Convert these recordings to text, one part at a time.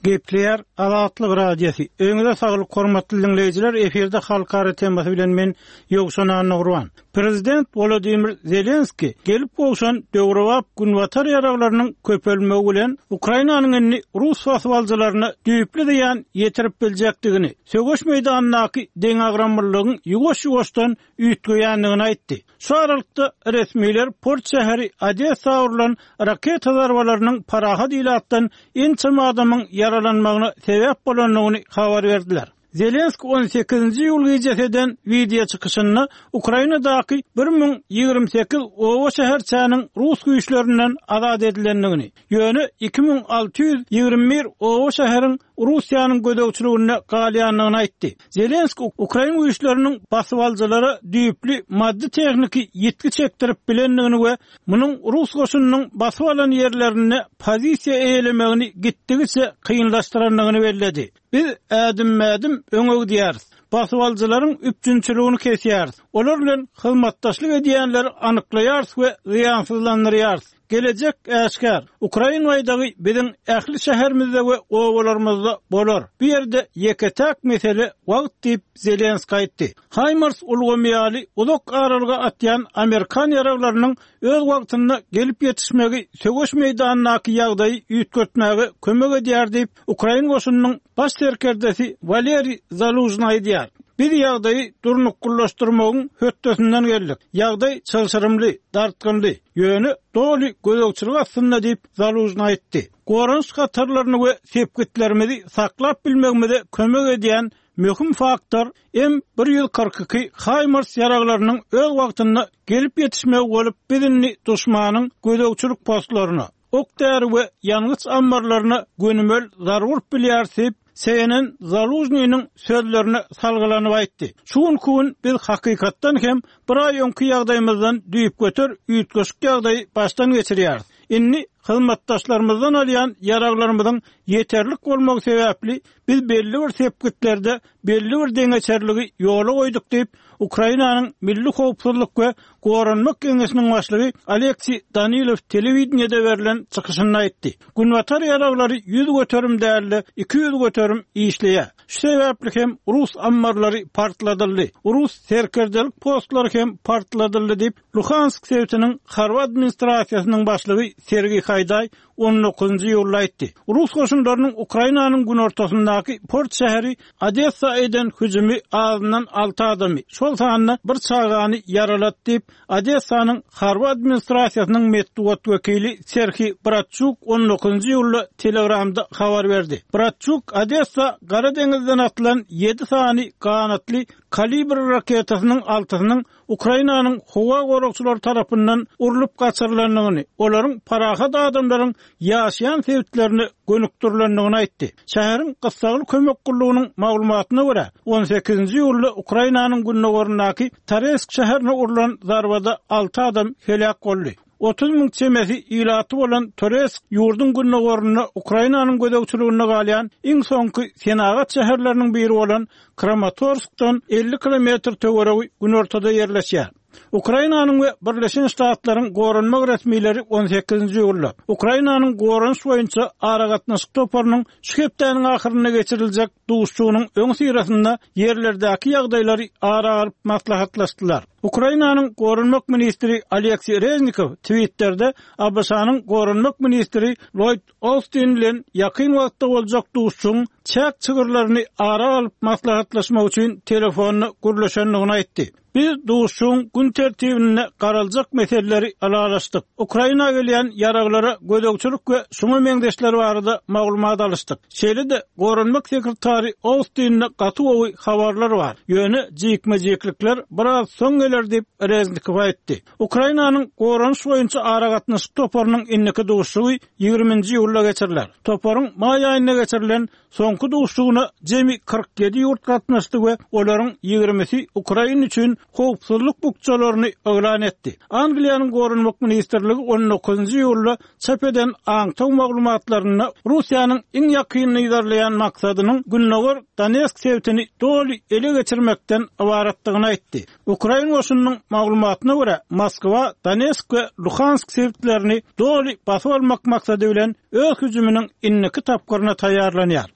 Gepleýär Azatlyk Radiosy. Öýüňize saglyk hormatly diňleýjiler, efirde Halkara temasy bilen men Ýowşan Annagurban. Prezident Wolodymyr Zelenskiý gelip gowşan döwrebap günbatar ýaraglarynyň köpelmegi bilen Ukrainanyň indi rus basybalyjylaryna düýpli zyýan ýetirip biljekdigini, söweş meýdanyndaky deňagramlylygyň ýuwaş-ýuwaşdan üýtgeýändigini aýtdy. Şu aralykda, resmiler port şäheri Odessa urlan raketa zarbalarynyň parahat ilatdan ençeme adamyň ýaralanmagyna sebäp bolandygyny habar berdiler. Zelenskiý on sekizinji iýul gijesi eden wideo çykyşynda Ukrainadaky 1028 oba-şäherçäniň rus güýçlerinden azat edilendigini, ýöne 2621 oba-şäheriň Russiýanyň gözegçiliginde galýandygyny aýtdy. Zelenskiý ukrain güýçleriniň basybalyjylara düýpli maddy-tehniki ýitgi çekdirip bilendigini we munuň rus goşunynyň basyp alan ýerlerinde pozisiýa eýelemegini gitdigiçe kynlaşdyrandygyny belledi. Biz ädimme-ädim öňe gidýäris. Basybalyjylaryň üpjünçiligini kesýäris. Olar bilen hyzmatdaşlyk edýänleri anyklaýarys we zyýansyzlandyrýarys. Gelejek äşgär. Ukrain baýdagy biziň ähli şäherimizde we obalarymyzda bolar. Bu ýerde ýeke-täk mesele wagt diýip, Zelenskiý aýtdy. HIMARS ulgamy ýaly uzak aralyga atýan amerikan ýaraglarynyň öz wagtynda gelip ýetişmegi söweş meýdanyndaky ýagdaýy üýtgetmäge kömek edýär diýip, ukrain goşunynyň baş serkerdesi Waleriý Zalužnyý aýdýar. Biz ýagdaýy durnuklylaşdyrmagyň hötdesinden geldik. Ýagdaý çylşyrymly, dartgynly. Ýöne doly gözegçilik astynda diýip, Zalužnyý aýtdy. Goranyş hatarlaryny we sepgitlerimizi saklap bilmegimize kömek edýän möhüm faktor M 142 HIMARS ýaraglarynyň öz wagtynda gelip ýetişmegi bolup, biz indi duşmanyň gözegçilik postlaryna, ok-däri we ýangyç ammarlaryna gönümel zarba urup bilýäris diýip, CNN Zalužnynyň sözlerine salgylanyp aýtdy. Şu günki gün biz hakykatdan hem bir aý öňki ýagdaýymyzdan düýpgöter üýtgeşik ýagdaýy başdan geçirýäris. Indi hyzmatdaşlarymyzdan alýan ýaraglarymyzyň ýeterlik bolmagy sebäpli biz belli bir sepgitlerde belli bir deňeçerligi ýola goýduk diýip, Ukrainanyň Milli howpsuzlyk we goranmak geňeşiniň başlygy Oleksiý Danilow telewideniýede berlen çykyşynda aýtdy. Günbatar ýaraglary 100% däl-de, 200% işleýär. Şu sebäpli hem rus ammarlary partladyldy, rus serkerdelik postlary hem partladyldy diýip, Luhansk sebitiniň harby administrasiýasynyň başlygy Sergiý Haýdaý on dokuzynjy iýulda aýtdy. Rus goşunlarynyň Ukrainanyň günortasyndaky port şäheri Odessa eden hüjümi azyndan alty adamy, şol sanda bir çagany ýaralady diýip, Odessanyň harby administrasiýasynyň metbugat wekili Serhiý Bratçuk on dokuzynjy iýulda Telegramda habar berdi. Bratçuk Odessa Gara deňizden atylan ýedi sany ganatly Kalibr raketasynyň altysynyň Ukrainanyň howa goragçylary tarapyndan urlup gaçyrylandygyny, olaryň parahat adamlaryň ýaşaýan sebitlerine gönükdirilendigini aýtdy. Şäheriň gyssagly kömek gullugynyň maglumatyna görä, on sekizinji iýulda Ukrainanyň gündogaryndaky Toresk şäherine urlan zarbada alty adam heläk boldy. 30 000 çemesi ilaty bolan Toresk ýurduň gündogarynda Ukrainanyň gözegçiliginde galýan iň soňky senagat şäherleriniň biri bolan Kramatorskdan 50 kilometr töweregi günortada ýerleşýär. Ukrainanyň we Birleşen Ştatlaryň goranmak resmileri on sekizinji iýulda Ukrainanyň goranyş boýunça aragatnaşyk toparynyň şu hepdäniň ahyrynda geçiriljek duşuşygynyň öňüsyrasynda ýerlerdäki ýagdaýlary ara alyp maslahatlaşdylar. Ukrainanyň goranmak ministri Oleksiý Reznikow Twitterde ABŞ-nyň goranmak ministri Lloýd Austin bilen ýakyn wagtda boljak duşuşygyň çäk çygyrlaryny ara alyp maslahatlaşmak üçin telefonda gürleşendigini aýtdy. Biz duşuşygyň gün tertibinde garaljak meseleleri ylalaşdyk. Ukraina gelýän ýaraglara gözegçilik we şuňa meňzeşler barada maglumat alyşdyk. Şeýle-de, goranmak sekretary Austinde gaty gowy habarlar bar. Ýöne jikme-jiklikler biraz soň geler diýip, Reznikow aýtdy. Ukrainanyň goranyş boýunça aragatnaşyk toparynyň indiki duşuşygy ýigriminji iýulda geçiriler. Toparyň maý aýynda geçirilen Soňky duşuşygyna jemi 47 ýurt gatnaşdy we olaryň ýigrimisi Ukraina üçin howpsuzlyk bukjalaryny yglan etdi. Angliýanyň Goranmak ministrligi on dokuzynjy iýulda çap eden aňtaw maglumatlarynda Russiýanyň iň ýakyn yzarlaýan maksadynyň Gündogar. Gündogar Donetsk sebitini doly ele geçirmekden ybaratdygyny aýtdy. Ukrain goşunynyň maglumatyna görä, Moskwa Donetsk we Luhansk sebitlerini doly basyp almak maksady bilen öz hüjüminiň indiki tapgyryna taýýarlanýar.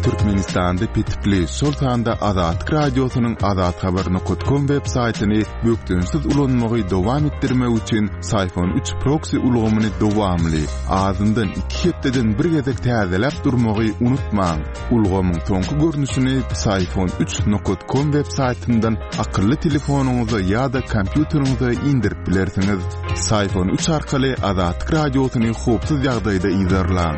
Türkmenistanda petikli, şol sanda Azatlyk Radiosynyň azathabar.com web saýtyny bökdençsiz ulanmagy dowam etdirmek üçin Syfon 3 proksi ulgamyny dowamly, azyndan iki hepdeden bir gezek täzeläp durmagy unutmaň. Ulgamyň soňky görnüşini Psiphon 3 nokat com web saýtyndan akylly telefonyňyza ýa-da kompýuteriňize indirip bilersiňiz. Psiphon 3 arkaly Azatlyk Radiosyny howpsuz ýagdaýda yzarlaň.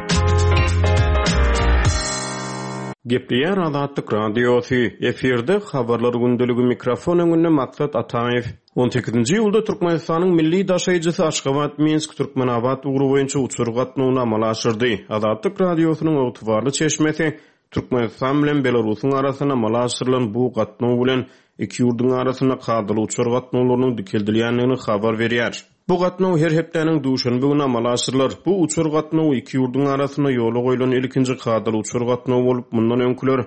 Gepleýär Azatlyk Radiosy, efirde Habarlar gündeligi mikrofon öňünde Maksat Ataýew. On sekizinji iýulda Türkmenistanyň milli daşaýjysy Aşgabat-Minsk-Türkmenabat ugry boýunça uçar gatnawyny amala aşyrdy. Azatlyk Radiosynyň ygtybarly çeşmesi Türkmenistan bilen Belarusyň arasynda amala aşyrylan bu gatnaw bilen iki ýurduň arasynda kadaly uçar gatnawlarynyň dikeldilýändigini habar berýär. Bu gatnaw her hepdäniň duşenbe güni amala aşyrylar. Bu uçar gatnawy iki ýurduň arasynda ýola goýlan ilkinji kadaly uçar gatnawy bolup, mundan öňküler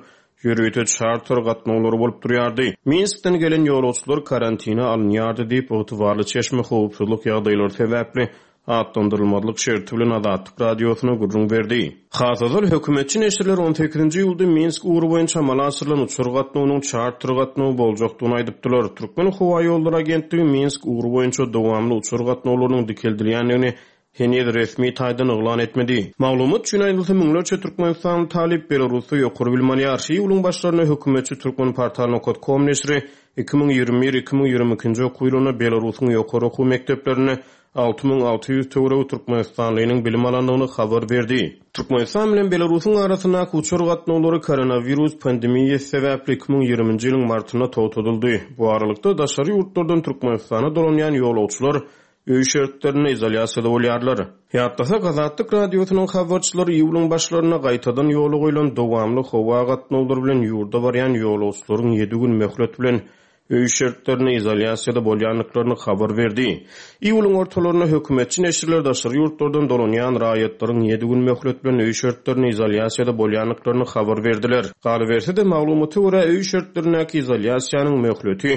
ýörite çarter gatnawlary bolup durýardy. Minskden gelen ýolagçylar karantine alynýardy diýip, ygtybarly çeşme howpsuzlyk ýagdaýlary sebäpli atlandyrylmazlyk şerti bilen Azatlyk Radiosyna gürrüň berdi. Has ozal, hökümetçi neşirler on sekizinji iýulda Minsk ugry boýunça amala aşyrylan uçar gatnawynyň çarter gatnawy boljakdygyny aýdypdylar. Türkmenhowaýollary agentligi Minsk ugry boýunça dowamly uçar gatnawlarynyň dikeldilýändigini heniz resmi taýdan yglan etmedi. Maglumat üçin aýdylsa, müňlerçe türkmenistanly talyp Belarusda ýokary bilim alýar. Iýulyň başlarynda hökümetçi Turkmenportal nokat kom neşiri 2021, 2022-nji okuw ýylynda Belarusyň ýokary okuw mekdeplerinde 6600 töweregi türkmenistanlynyň bilim alandygyny habar berdi. Türkmenistan bilen Belarusyň arasyndaky uçar gatnawlary koronawirus pandemiýasy sebäpli 2020-nji ýylyň martynda togtadyldy. Bu aralykda, daşary ýurtlardan Türkmenistana dolanýan ýolagçylar öý şertlerinde izolýasiýada bolýarlar. Ýatlasak, Azatlyk Radiosynyň habarçylary iýulyň başlarynda gaýtadan ýola goýlan dowamly howa gatnawlary bilen ýurda barýan ýolagçylaryň ýedi gün möhlet bilen öý şertlerinde izolýasiýada bolýandyklaryny habar berdi. Iýulyň ortalarynda hökümetçi neşirler daşary ýurtlardan dolanýan raýatlaryň ýedi gün möhlet bilen öý şertlerinde izolýasiýada bolýandyklaryny habar berdiler. Galyberse-de, maglumata görä, öý şertlerindäki izolýasiýanyň möhleti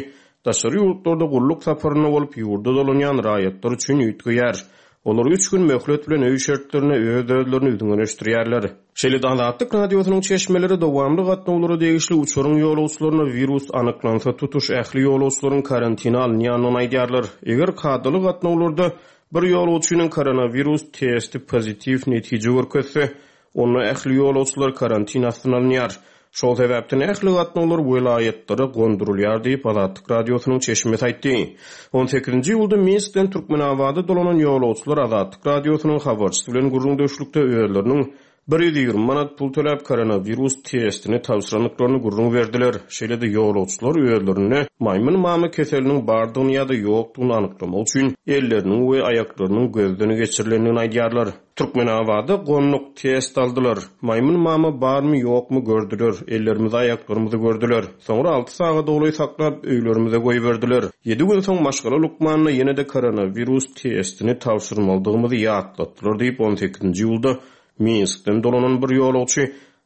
Daşary ýurtlarda gulluk saparynda bolup, ýurda dolanýan raýatlar üçin üýtgeýär. Olar üç gün möhlet bilen öý şertlerinde öz-özlerini üzňeleşdirýärler. Şeýle-de Azatlyk Radiosynyň çeşmeleri dowamly gatnawlara degişli uçaryň ýolagçylarynda wirus anyklansa, tutuş ähli ýolagçylaryň karantine alynýandygyny aýdýarlar. Eger kadaly gatnawlarda bir ýolagçynyň koronawirus testi pozitiw netije görkezse, Onda ähli ýolagçylar karantin astyna alynýar. Şol sebäpden ähli gatnawlar welaýatlara gondurylýar diýip, Azatlyk Radiosynyň çeşmesi aýtdy. On sekizinji iýulda Minskden Türkmenabada dolanan ýolagçylar Azatlyk Radiosynyň habarçysy bilen gürrüňdeşlikde özleriniň 120 manat pul töläp koronawirus testini tabşyrandyklaryny gürrüň berdiler. Şeýle-de ýolagçylar özlerinde maýmyn mama keseliniň bardygyny ýa-da ýokdugyny anyklamak üçin elleriniň we aýaklarynyň gözden geçirilendigini aýdýarlar. Türkmenabada gonduk, test aldylar. Maýmyn mama barmy ýokmy gördüler, ellerimizi aýaklarymyzy gördüler. Soňra alty sagada golaý saklap, öýlerimize goýberdiler. Ýedi gün soň maşgala lukmanyna ýene-de koronawirus testini tabşyrmalydygymyzy ýatlatdylar diýip, on sekizinji iýulda Minskden dolanan bir ýolagçy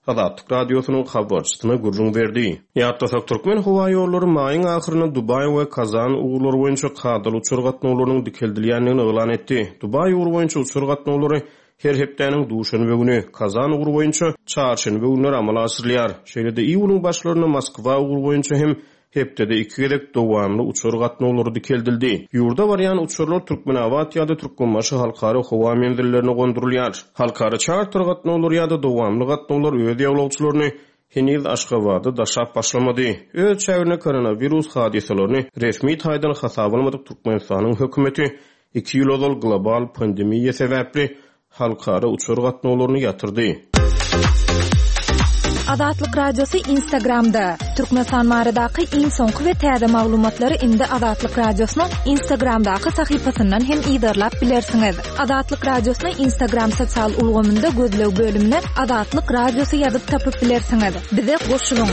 Azatlyk Radiosynyň habarçysyna gürrüň berdi. Ýatlasak, Türkmenhowaýollary maýyň ahyrynda Dubaý we Kazan ugurlary boýunça kadaly uçar gatnawlarynyň dikeldilýändigini yglan etdi. Dubaý ugry boýunça uçar gatnawlary her hepdäniň duşenbe güni, Kazan ugry boýunça çarşenbe günleri amala aşyrylýar. Şeýle-de iýulyň başlarynda Moskwa ugry boýunça hem Hepdede iki gezek dowamly uçar gatnawlary dikeldildi. Ýurda barýan uçarlar Türkmenabat ýa-da Türkmenbaşy halkara howa menzillerine gondurylýar. Halkara çarter gatnawlary ýa-da dowamly gatnawlar öz ýolagçylaryny heniz Aşgabada daşap başlamady. Öz çäginde koronawirus hadysalaryny resmi taýdan hasaba almadyk Türkmenistanyň hökümeti iki ýyl ozal global pandemiýa sebäpli halkara uçar gatnawlaryny ýatyrdy. Azatlyk Radiosy Instagramda, Türkmenistan baradaky iň soňky we täze maglumatlary indi Azatlyk Radiosynyň Instagramdaky sahypasyndan hem yzarlap bilersiňiz. Azatlyk Radiosyny Instagram sosial ulgamynda gözleg bölümine Azatlyk Radiosy ýazyp tapyp bilersiňiz. Bize goşulyň!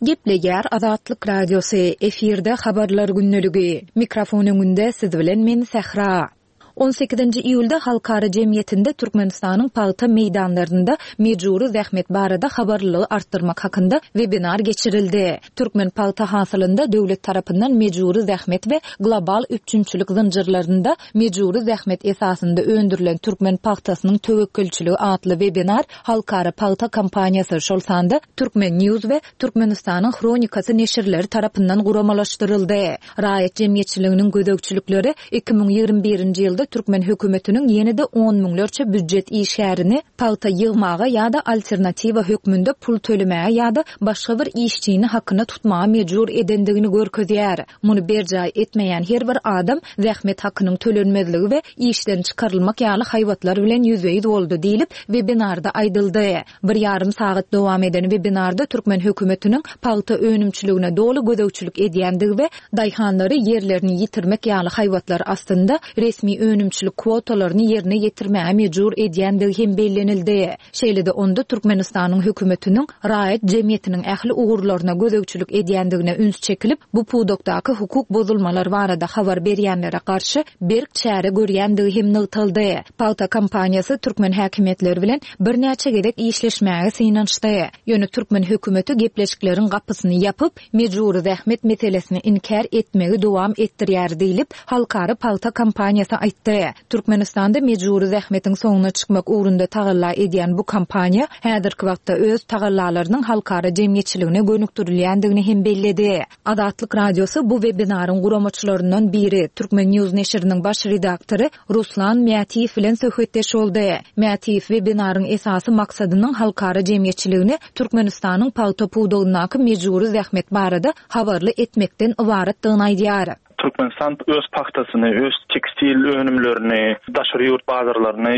Gepleýär Azatlyk Radiosy, efirde Habarlar gündeligi. Mikrofon öňünde siz bilen men Sähra. On sekizinji iýulda halkara jemgyýetinde Türkmenistanyň pagta meýdanlarynda mejbury zähmet barada habarlylygy artdyrmak hakynda webinar geçirildi. Türkmen pagta hasylynda döwlet tarapyndan mejbury zähmet we global üpjünçilik zynjyrlarynda mejbury zähmet esasynda öndürilen türkmen pagtasynyň töwekgelçiligi atly webinar halkara pagta kompaniýasy, şol sanda Turkmen. News we Türkmenistanyň Hronikasy neşirleri tarapyndan guramalaşdyryldy. Raýat jemgyýetçiliginiň gözegçilikleri 2021-nji ýylda türkmen hökümetiniň ýene-de on müňlerçe býujet işgärini pagta ýygmaga ýa-da alternatiwa hökmünde pul tölemäge ýa-da başga bir işçini hakyna tutmaga mejbur edendigini görkezýär. Muny berjaý etmeýän her bir adam zähmet hakynyň tölenmezligi we işden çykarylmak ýaly haýbatlar bilen ýüzbe-ýüz boldy diýlip, webinarda aýdyldy. Bir ýarym sagat dowam eden webinarda türkmen hökümetiniň pagta önümçiligine doly gözegçilik edýändigi we daýhanlary ýerlerini ýitirmek ýaly haýbatlar astynda resmi önümçilik kwotalaryny ýerine ýetirmäge mejbur edýändigi hem bellenildi. Şeýle-de onda Türkmenistanyň hökümetiniň raýat jemgyýetiniň ähli ugurlaryna gözegçilik edýändigine üns çekilip, bu pudakdaky hukuk bozulmalar barada habar berýänlere garşy berk çäre görýändigi hem nygtaldy. Pagta kompaniýasy türkmen häkimiýetleri bilen birnäçe gezek işleşmäge synanyşdy. Ýöne türkmen hökümeti gepleşikleriň gapysyny ýapyp, mejbury zähmet meselesini inkär etmegi dowam etdirýär diýlip, Halkara pagta kompaniýasy aýtdy. Türkmenistanda mejbury zähmetiň soňuna çykmak ugrunda tagalla edýän bu kompaniýa häzirki wagtda öz tagallalarynyň halkara jemgyýetçiligine gönükdirilýändigini hem belledi. Azatlyk Radiosy bu webinaryň guramaçylaryndan biri, Turkmen. News neşiriniň baş redaktory Ruslan Mätiýew bilen söhbetdeş boldy. Mätiýew webinaryň esasy maksadynyň halkara jemgyýetçiligini Türkmenistanyň pagta pudagyndaky mejbury zähmet barada habarly etmekden ybaratdygyny aýdýar. Türkmenistan öz pagtasyny, öz tekstil önümlerini daşary ýurt bazarlaryna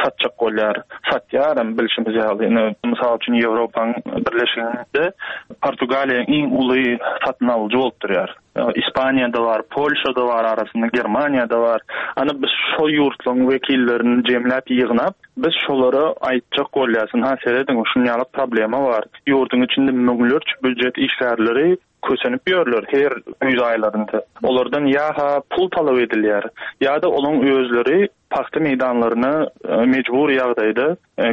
satjak bolýar. Satýar hem bilşimiz ýaly. Ine, mysal üçin, Ýewropaň Birleşiginde Portugaliýa iň uly satyn alyjy bolup durýar. Ispaniýada bar, Polşada bar arasynda, Germaniýada bar. Ana biz şo ýurtlaryň wekillerini jemläp ýygnap, biz şolara aýtjak bolýarys, ynha serediň, şuny ýaly problema bar. Ýurduň içinde müňlerçe býujet işgärleri kösenip ýörler her güýz aýlarynda. Olardan ýa-ha pul talap edilýär, ýa-da olaň özleri pagta meýdanlaryna mejbury ýagdaýda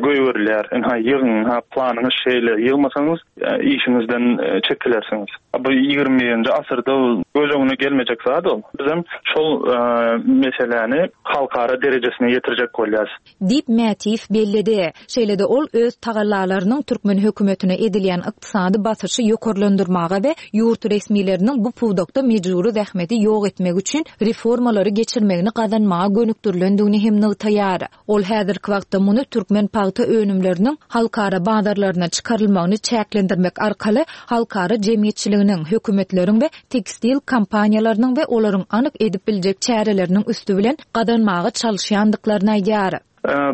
goýberilýär. Ynha, ýygyň, ynha, planyňyz şeýle, ýygmasaňyz, işiňizden çekilersiňiz. Bu 21-nji asyrda göz öňüne gelmejek zat ol. Bizem şol meseläni halkara derejesine ýetirjek bolýarys. Diýip, Mätiýew belledi. Şeýle-de ol öz tagallalarynyň türkmen hökümetine edilýän ykdysady basyşy ýokarlandyrmaga we ýurt resmileriniň bu pudakda mejbury zähmeti ýok etmek üçin reformalary geçirmegini gazanmaga gönükdirilendigini hem nygtaýar. Ol häzirki wagtda muny türkmen pagta önümleriniň halkara bazarlaryna çykarylmagyny çäklendirmek arkaly halkara jemgyýetçiliginiň, hökümetleriň we tekstil kompaniýalarynyň we olaryň anyk edip biljek çäreleriniň üsti bilen gazanmaga çalyşýandyklaryny aýdýar.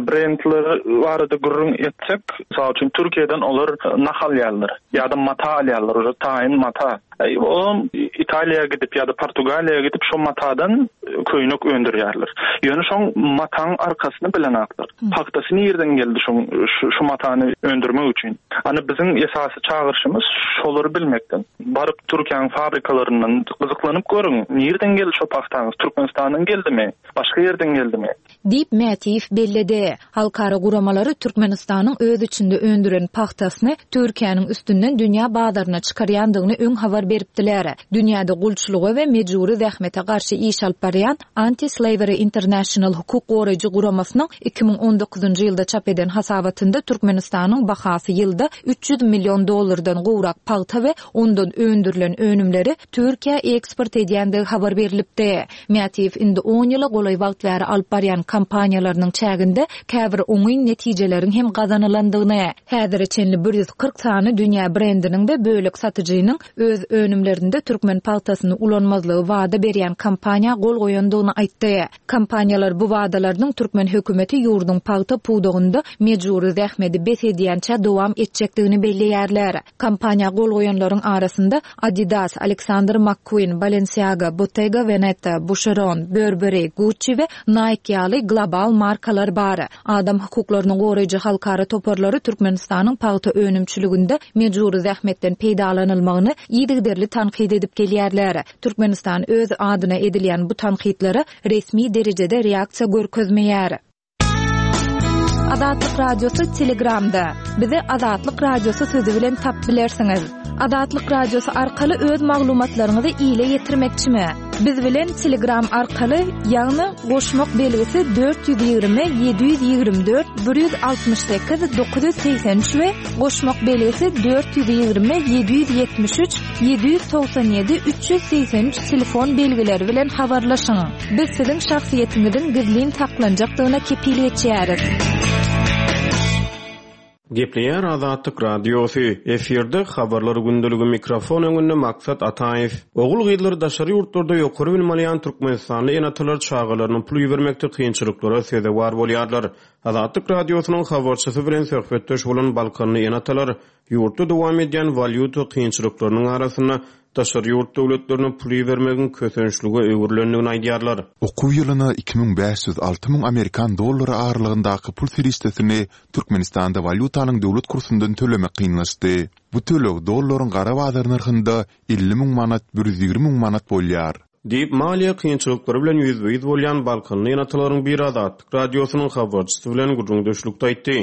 Brendler barada gürrüň etsek, mysal üçin, Türkiýeden olar nah alýarlar ýa-da mata alýarlar, uje taýyn mata. Olam Italiýa gidip ýa-da Portugaliýa gidip şo matadan köýnek öndürýärler. Ýöne şoň mataň arkasyny bilenaklar. Pagtasy nirden geldi şoň şu matany öndürmek üçin? Ana biziň esasy çagyryşymyz şolary bilmekden. Baryp Türkiýäň fabrikalaryndan gyzyklanyp görüň, nirden geldi şo pagtaňyz, Türkmenistandan geldimi, başga ýerden geldimi? Diýip, Mätiýew belledi. Halkara guramalary Türkmenistanyň öz içinde öndüren pagtasyny Türkiýäniň üstünden dünýä bazaryna çykarýandygyny öň habar beripdiler. Dünýäde gulçulyga we mejbury zähmete garşy iş alyp barýan Anti-Slavery International hukuk goraýjy guramasynyň 2019-njy ýylda çap eden hasabatynda Türkmenistanyň bahasy ýylda 300 million dollardan gowrak pagta we ondan öndürilen önümleri Türkiýä eksport edýändigi habar berlipdi. Mätiýew indi on ýyla golaý wagt bäri alyp barýan kampaniýalarynyň çäginde käbir oňyn netijeleriň hem gazanylandygyny, häzire çenli 140 sany dünýä brendiniň we bölek satyjynyň öz önümlerinde türkmen pagtasyny ulanmazlygy wada berýän kampaniýa gol goýandygyny aýtdy. Kompaniýalar bu wadalarynyň türkmen hökümeti ýurduň pagta pudagynda mejbury zähmedi bes edýänçä dowam etjekdigini belleýärler. Kampaniýa gol goýanlaryň arasynda Adidas, Alexander McQueen, Balenciaga, Bottega Veneta, Boucheron, Burberry, Gucci we Nike ýaly. global markalar bar. Adam hukuklaryny goraýjy halkara toparlary Türkmenistanyň pagta önümçiliginde mejbury zähmetden peýdalanylmagyny yzygiderli tankyt edip gelýärler. Türkmenistan öz adyna edilýän bu tankytlara resmi derejede reaksiýa görkezmeýär. Azatlyk Radiosy Telegramda. Bizi Azatlyk Radiosy sözi bilen tap bilersiňiz. Azatlyk Radiosy arkaly öz maglumatlaryňyzy ile ýetirmekçimi? Biz bilen Telegram arkaly, ýagny goşmak belgisi 420 724 168 983 we goşmak belgisi 420 773 797 383 telefon belgileri bilen habarlaşyň. Biz siziň şahsyýetiňiziň gizlin saklanjakdygyna kepil geçýäris. Gepleýär Azatlyk Radiosy, efirde Habarlar gündeligi mikrofon öňünde Maksat Ataýew. Ogul-gyzlary daşary ýurtlarda ýokary bilim alýan türkmenistanly ene-atalar çagalaryna pul ibermekde kynçylyklara sezewar bolýarlar. Azatlyk Radiosynyň habarçysy bilen söhbetdeş bolan balkanly ene-atalar Ýurtda dowam edýän walýuta kynçylyklarynyň arasynda daşary ýurt döwletlerine pul ibermegiň kösençlige öwrülendigini aýdýarlar. Okuw ýylyna 2500-6000 amerikan dollary aralygyndaky pul serişdesini Türkmenistanda walýutanyň döwlet kursundan tölemek kynlaşdy. Bu töleg dollaryň gara bazar nyrhynda 50 müň manat, 120 müň manat bolýar. Diýip, maliýe kynçylyklary bilen ýüzbe-ýüz bolýan balkanly ene-atalaryň biri Azatlyk Radiosynyň habarçysy bilen gürrüňdeşlikde aýtdy.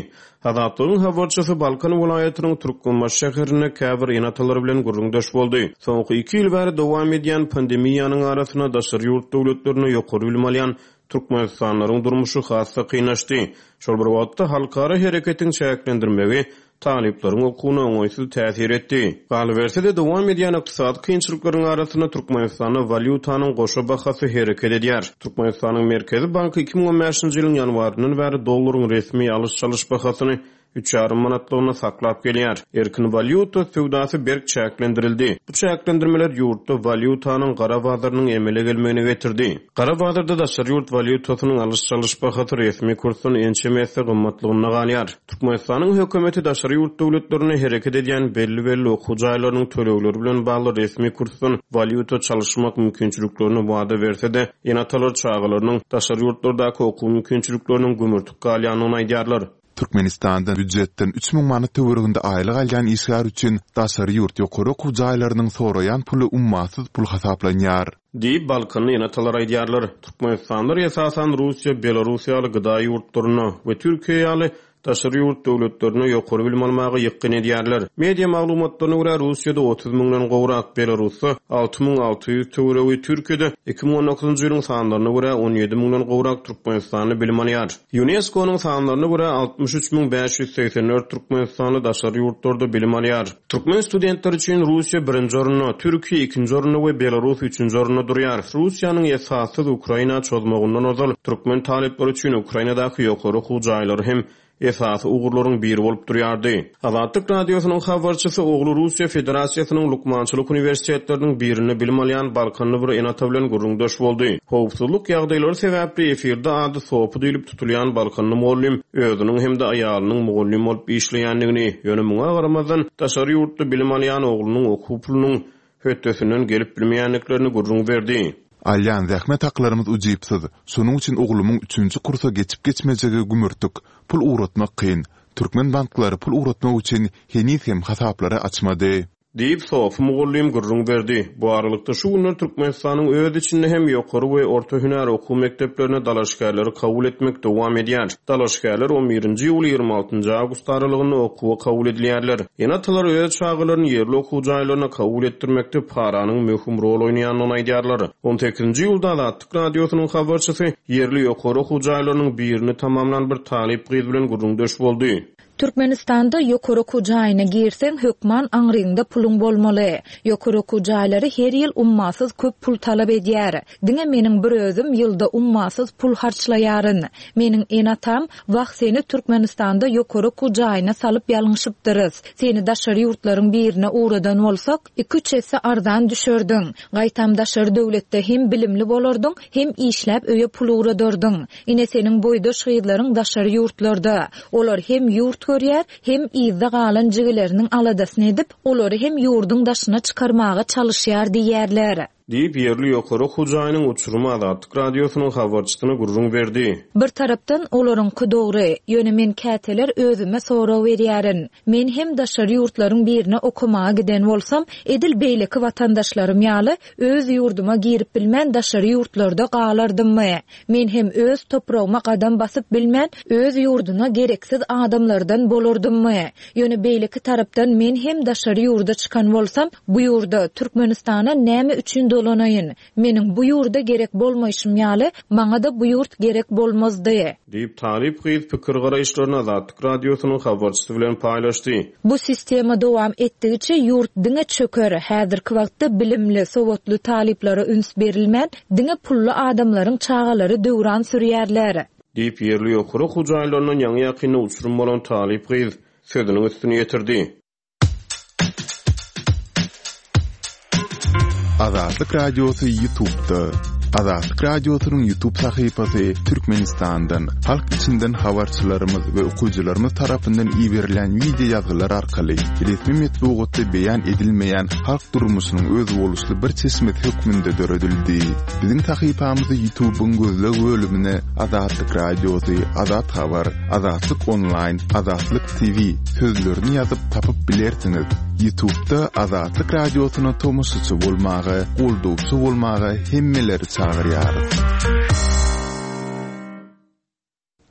Azatlygyň habarçysy Balkan welaýatynyň Türkmenbaşy şäherinde käbir ene-atalar bilen gürrüňdeş boldy. Soňky iki ýyl bäri dowam edýän pandemiýanyň arasynda daşary ýurt döwletlerinde ýokary bilim alýan türkmenistanlylaryň durmuşy has-da kynlaşdy. Şol bir wagtda, halkara hereketiň çäklendirmegi talyplaryň okuwyna oňaýsyz täsir etdi. Galyberse-de, dowam edýän ykdysady kynçylyklaryň arasynda Türkmenistanda walýutanyň goşa bahasy hereket edýär. Türkmenistanyň Merkezi banky 2015-nji ýylyň ýanwaryndan bäri dollaryň resmi alyş-çalyş bahasyny üç ýarym manatlygyna saklap gelýär. Erkin walýuta söwdasy berk çäklendirildi. Bu çäklendirmeler ýurtda walýutanyň gara bazarynyň emele gelmegine getirdi. Gara bazarda daşary ýurt walýutasynyň alyş-çalyş bahasy resmi kursdan ençeme esse gymmatlygynda galýar. Türkmenistanyň hökümeti daşary ýurt döwletlerinde hereket edýän belli-belli okuw jaýlarynyň tölegleri bilen bagly resmi kursdan walýuta çalyşmak mümkinçiliklerini wada berse-de, ene-atalar çagalarynyň daşary ýurtlardaky okuw mümkinçilikleriniň gümürtik galýandygyny aýdýarlar. Türkmenistanda býujetden 3000 manat töwereginde aýlyk alýan işgär üçin daşary ýurt ýokary okuw jaýlarynyň soraýan puly ummasyz pul hasaplanýar. Diýip, balkanly ene-atalar aýdýarlar. Türkmenistanlylar esasan Russiýa, Belarus ýaly gda ýurtlaryna we Türkiýe ýaly daşary ýurt döwletlerine ýokary bilim almaga ýykgyn edýärler. Media maglumatlaryna görä, Russiýada 30 müňden gowrak, Belarusda 6600 töweregi, Türkiýede 2019-njy ýylyň sanlaryna görä 17 müňden gowrak türkmenistanly bilim alýar. Ýunesko-nyň sanlaryna görä, 63 584 türkmenistanly daşary ýurtlarda bilim alýar. Türkmen studentleri üçin Russiýa birinji orunda, Türkiýe ikinji orunda we Belarus üçünji orunda durýar. Russiýanyň esassyz Ukraina çozmagyndan ozal, türkmen talyplary üçin Ukrainadaky ýokary okuw jaýlary hem esasy ugurlaryň biri bolup durýardy. Azatlyk Radiosynyň habarçysy ogly Russiýa Federasiýasynyň lukmançylyk uniwersitetleriniň birinde bilim alýan balkanly bir ene-ata bilen gürrüňdeş boldy. Howpsuzlyk ýagdaýlary sebäpli efirde ady Sopy diýlip tutulýan balkanly mugallym özüniň hem-de aýalynyň mugallym bolup işleýändigini, ýöne muňa garamazdan, daşary ýurtda bilim alýan oglunyň okuw pulunyň hötdesinden gelip bilmeýändiklerini gürrüň berdi. Alýan zähmet haklarymyz ujypsyz, şonuň üçin oglumyň üçünji kursa geçip-geçmejegi gümürtik, pul ugratmak kyn. Türkmen banklary pul ugratmak üçin heniz hem hasaplary açmady. Diýip, Sopy mugallym gürrüň berdi. Bu aralykda, şu günler Türkmenistanyň öz içinde hem ýokary we orta hünär okuw mekdeplerine dalaşgärleri kabul etmek dowam edýär. Dalaşgärler on birinji iýul, 26 njy awgust aralygynda okuwa kabul edilýärler. Ene-atalar öz çagalaryny ýerli okuw jaýlaryna kabul etdirmekde paranyň möhüm rol oýnaýandygyny aýdýarlar. On sekizinji iýulda Azatlyk Radiosynyň habarçysy ýerli ýokary okuw jaýlarynyň birini tamamlan bir talyp gyz bilen gürrüňdeş boldy. Türkmenistanda ýokary okuw jaýyna girseň, hökman aňryňda puluň bolmaly. Ýokary okuw jaýlary her ýyl ummasyz köp pul talap edýär. Diňe meniň bir özüm ýylda ummasyz pul harçlaýaryn. Meniň ene-atam, Wah, seni Türkmenistanda ýokary okuw jaýyna salyp ýalňyşypdyrys. Seni daşary ýurtlaryň birine ugradan bolsak, iki-üç esse arzan düşerdiň. Gaýtam daşary döwletde hem bilimli bolardyň, hem işläp öýe pul ugradardyň. Ine seniň boýdaş gyzlaryň daşary ýurtlarda. Olar hem ýurt görýär, hem yzda galan jigileriniň aladasyny edip, olary hem ýurduň daşyna çykarmaga çalyşýar diýýärler. Diýip, ýerli ýokary okuw jaýynyň uçurymy Azatlyk Radiosynyň habarçysyna gürrüň berdi. Bir tarapdan, olaryňky dogry. Ýöne men käteler özüme sorag berýärin. Men hem daşary ýurtlaryň birine okamaga giden bolsam, edil beýleki watandaşlarym ýaly, öz ýurduma girip bilmän daşary ýurtlarda galardymmy? Men hem öz topragyma gadam basyp bilmän, öz ýurduna gereksiz adamlardan bolardymmy? Ýöne beýleki tarapdan men hem daşary ýurda çykan bolsam, bu ýurda, Türkmenistana näme üçin dolanaýyn? Meniň bu ýurda gerek bolmaýşym ýaly, maňa-da bu ýurt gerek bolmazdy. Diýip, talyp gyz pikir-garaýyşlaryny Azatlyk Radiosynyň habarçysy bilen paýlaşdy. Bu sistema dowam etdigiçe ýurt diňe çöker, häzirki wagtda bilimli, sowatly talyplara üns berilmän, diňe pully adamlaryň çagalary döwran sürýärler. Diýip, ýerli ýokary okuw jaýlaryndan ýaňy-ýakynda uçurym bolan talyp gyz sözüniň üstüni ýetirdi. Azatlyk Radiosy YouTube'da. Azatlyk Radiosynyň YouTube sahypasy Türkmenistandan, halk içinden habarçylarymyz we okyjylarymyz tarapyndan iberilen wideo ýazgylar arkaly resmi metbugatda beýan edilmeýän halk durmuşynyň özboluşly bir çeşmesi hökmünde döredildi. Biziň sahypamyzy YouTube-yň gözleg bölümine Azatlyk Radiosy, Azat Habar, Azatlyk Onlaýn, Azatlyk TV sözlerini ýazyp tapyp bilersiňiz. YouTube-da Azatlyk Radiosyna tomaşaçy bolmaga, goldawçy bolmaga hemmeleri çagyrýarys.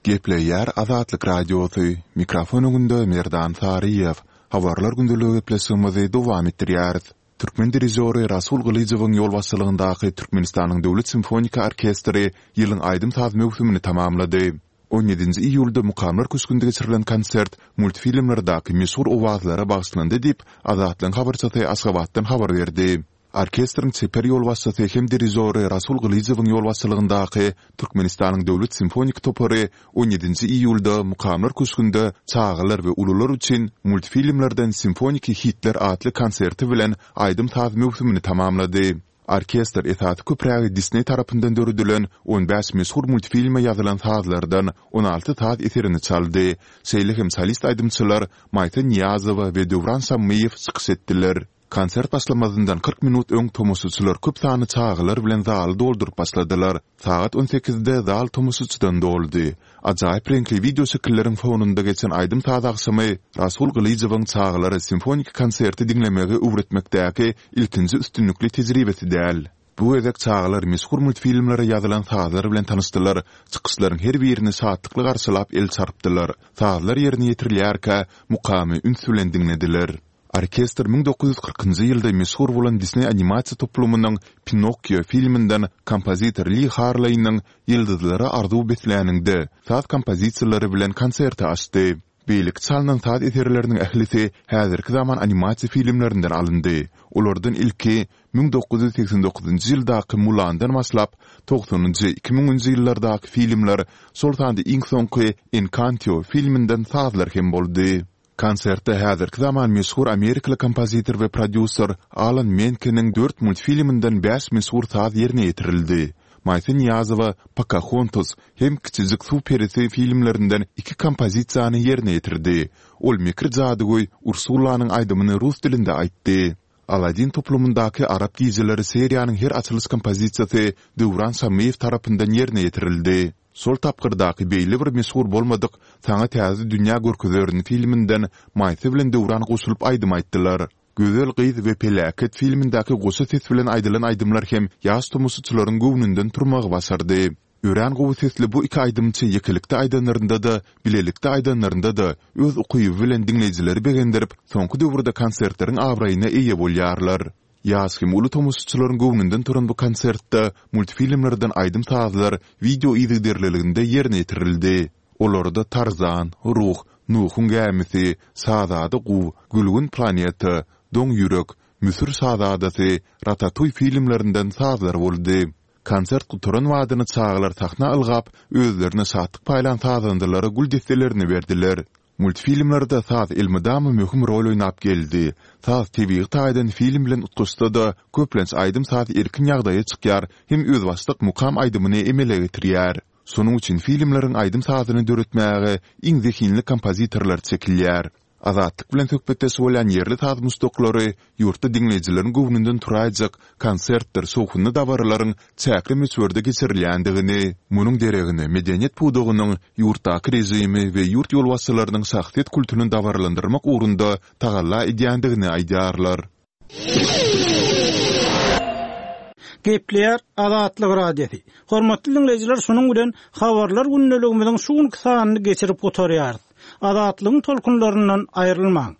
Gepleýär Azatlyk Radiosy, mikrofon öňünde Merdan Saryýew. Habarlar gündeligi gepleşigimizi dowam etdirýäris. Türkmen dirižýory Rasul Gylyjowyň ýolbaşçylygyndaky Türkmenistanyň Döwlet simfoniki orkestri ýylyň aýdym-saz möwsümini tamamlady. On ýedinji iýulda Mukamlar köşgünde geçirilen konsert multfilmlerdäki meşhur owazlara bagyşlandy diýip, Azatlygyň habarçysy Aşgabatdan habar berdi. Orkestriň çeper ýolbaşçysy hem dirižory Rasul Gylyjowyň ýolbaşçylygyndaky Türkmenistanyň Döwlet simfonik topary on ýedinji iýulda Mukamlar köşgünde çagalar we ulular üçin multfilmlerden simfoniki hitler atly konserti bilen aýdym-saz möwsümini tamamlady. Orkestr esasy köprägi Disney tarapyndan döredilen on bäş meşhur multfilme ýazylan sazlardan 16 saz eserini çaldy. Şeýle hem solist aýdymçylar Maýsa Nyýazowa we Döwran Şammyýew çykyş etdiler. Konsert başlamazyndan 40 minut öň tomaşaçylar köp sanly çagalar bilen zaly dolduryp başladylar. Sagat on sekizde zal tomaşaçydan doldy. Ajaýyp reňkli wideoşekilleriň fonunda geçen aýdym-saz agşamy Rasul Gylyjowyň çagalara simfoniki konserti diňlemegi öwretmekdäki ilkinji üstünlikli tejribesi däl. Bu gezek çagalar meşhur multfilmlere ýazylan sazlar bilen tanyşdylar, çykyşlaryň her birini şatlykly garşylap el çarpdylar. Sazlar ýerine ýetirilýärkä, mukamy üns bilen diňlediler. Orkestr 1940-njy ýylda meşhur bolan Disneý animasiýa toplumynyň Pinokkio filminden kompozitor Li Harleýniň Ýyldyzlara arzuw besläniňde saz kompozisiýalary bilen konserti açdy. Beýleki çalnan saz eserleriniň ählisi häzirki zaman animasiýa filmlerinden alyndy. Olardan ilki 1989-njy ýyldaky Mulandan başlap, togsanynjy, iki müňünji ýyllardaky filmler, şol sanda iň soňky Enkanto filminden sazlar hem boldy. Konsertde häzirki zaman meşhur amerikaly kompozitor we prodýuser Alan Menkeniň dört multfilminden bäş meşhur saz ýerine ýetirildi. Maýsa Nyýazowa Pokahontas hem Kiçijik suw perisi filmlerinden iki kompozisiýany ýerine ýetirdi. Ol mekir jadygöý Ursulanyň aýdymyny rus dilinde aýtdy. Aladin toplumyndaky Arap gijeleri seriýanyň her açylyş kompozisiýasy Döwran Şammyýew tarapyndan ýerine ýetirildi. Şol tapgyrdaky beýle bir meşhur bolmadyk Saňa täze dünýä görkezerin filminden Maýsa bilen Döwran goşulyp aýdym aýtdylar. Gözel gyz we Peläket filmindäki goşa ses bilen aýdylan aýdymlar hem ýaş tomaşaçylaryň göwnünden turmagy başardy. Örän gowy sesli bu iki aýdymçy ýekelikde aýdanlarynda-da, bilelikde aýdanlarynda-da öz ukyby bilen diňleýjileri begendirip, soňky döwürde konsertleriň abraýyna eýe bolýarlar. Ýaş hem uly tomaşaçylaryň göwnünden turan bu konsertde multfilmlerden aýdym-sazlar wideo yzygiderliliginde ýerine ýetirildi. Olarda Tarzan, Ruh, Nuhuň gämisi, Şazada guw, Gülgün planeta, Doň ýürek, Müsür şazadasy, Ratatuý filmlerinden sazlar boldy. Konsert gutaran badyna çagalar sahna ylgap, özlerine şatlyk paýlan sazandalara gül desselerini berdiler. Multfilmlerde saz elmydama möhüm rol oýnap geldi. Saz tebigy taýdan film bilen utgaşsa-da, köplenç aýdym-saz erkin ýagdaýa çykýar hem özbaşdak mukam aýdymyny emele getirýär. Şonuň üçin filmleriň aýdym-sazyny döretmäge iň zehinli kompozitorlar çekilýär. Azatlyk bilen söhbetdeş bolýan ýerli saz muşdaklary ýurtda diňleýjileriň göwnünden turaýjak konsertdir şowhunly dabaralaryň çäkli möçberde geçirilýändigini, munuň deregine medeniýet pudagynyň ýurtdaky režimi we ýurt ýolbaşçylarynyň şahsyýet kultuny dabaralandyrmak ugrunda tagalla edýändigini aýdýarlar. Gepleýär Azatlyk Radiosy. Hormatly diňleýjiler şunuň bilen Habarlar gündeligimiziň şu günki sanyny geçirip gutarýarys. Azatlygyň tolkunlaryndan aýrylmaň!